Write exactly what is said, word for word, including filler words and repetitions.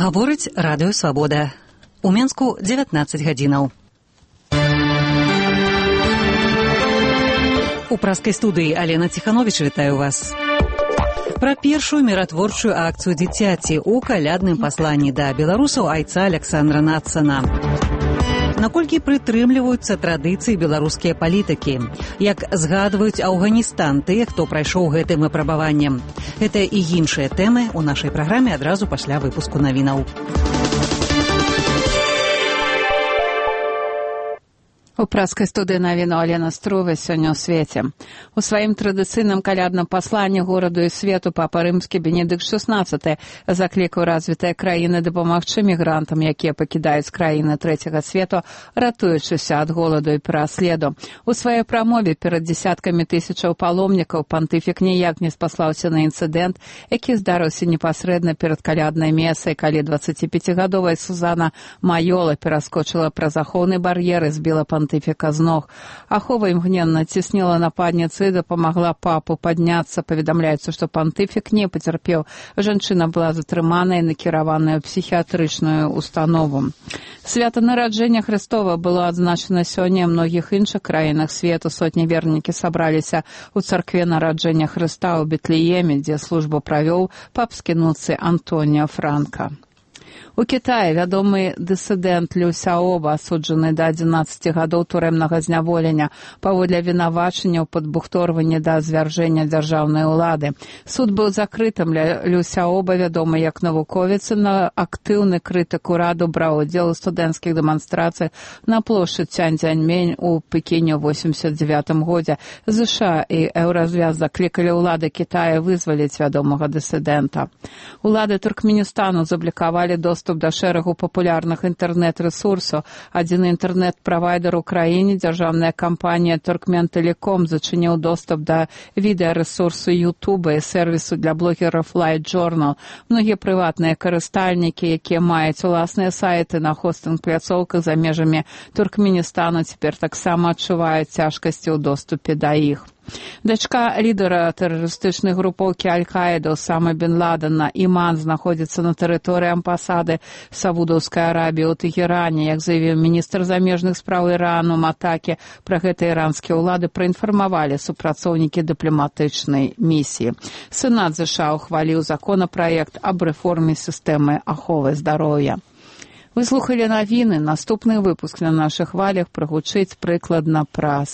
Гаворыць радыё Свабода. У Менску дзевятнаццаць гадзінаў. У праскай студыі Алена Ціхановіч вітаю вас. Пра першую міратворчую акцыю дзіцяці ў калядным пасланні да беларусаў айца Аляксандра Нацана. Наколькі прытрымліваюцца традыцыі беларускія палітыкі? Як згадваюць Афганістан тыя, хто прайшоў гэтым выпрабаваннем? Гэта і іншыя тэмы ў нашай праграме адразу пасля выпуску навінаў. У праскай студыі навіну Алена Струве сёння ў свеце. У сваім традыцыйным калядным пасланні гораду і свету папа рымскі Бенедыкт шаснаццаты заклікаў развітыя краіны дапамагчы мігрантам, якія пакідаюць краіны трэцяга свету, ратуючыся ад голаду і пераследу. У сваёй прамове перад дзесяткамі тысячаў паломнікаў пантыфік ніяк не спаслаўся на інцыдэнт, які здарыўся непасрэдна перад каляднай месай, калі дваццаціпяцігадовая Сузана Майола пераскочыла праз ахоўны бар'ер і збіла пантыфік пантыфіка з ног. Ахова імгненна цісніла нападніцы і дапамагла папу падняцца. Паведамляецца, што пантыфік не пацярпеў. Жанчына была затрыманая і накіраваная ў псіхіятрычную установу. Свята нараджэння Хрыстова было адзначана сёння ў многіх іншых краінах свету. Сотні вернікі сабраліся ў царкве нараджэння Хрыста ў Бетлееме, дзе службу правёў папскі нунцый Антоніо Франка. У Кітаі вядомы дысідэнт Лю Сяоба, асуджаны да адзінаццаці гадоў турэмнага зняволення паводле вінавачання ў падбухторванні да звяржэння дзяржаўнай улады. Суд быў закрытым. Лю Сяоба, вядомы як навуковец, на актыўны крытык ураду браў удзел у студэнцкіх дэманстрацыях на плошчы Цяньцзяньмэнь у Пекіне ў восемьдесят девятым годзе. ЗША і Еўразвяз заклікалі ўлады Кітая вызваліць вядомага дысідэнта. Улады Туркменістану заблокавалі доступ да шэрагу папулярных інтэрнэт-рэсурсаў. Адзін інтэрнэт-правайдер у краіне, дзяржаўная кампанія Туркмен-Тэлеком, зачыніў доступ да відэарэсурсу Ютуба і сервісу для блогераў Light Journal. Многія прыватныя карыстальнікі, якія маюць уласныя сайты на хостынг-пляцоўках за межамі Туркменістану, цяпер таксама адчуваюць цяжкасці ў доступе да іх. Дачка лідара тэрарыстычнай групоўкі Аль-Каіда Осама бен Ладена Іман знаходзіцца на тэрыторыі амбасады Саудаўскай Арабіі ў Тэгеране. Як заявіў міністр замежных спраў Ірану Матакі, пра гэта іранскія ўлады праінфармавалі супрацоўнікі дыпламатычнай місіі. Сенат ЗША ухваліў законапраект аб рэформе сістэмы аховы здароўя. Вы слухалі навіны. Наступны выпуск на нашых хвалях прагучыць прыкладна праз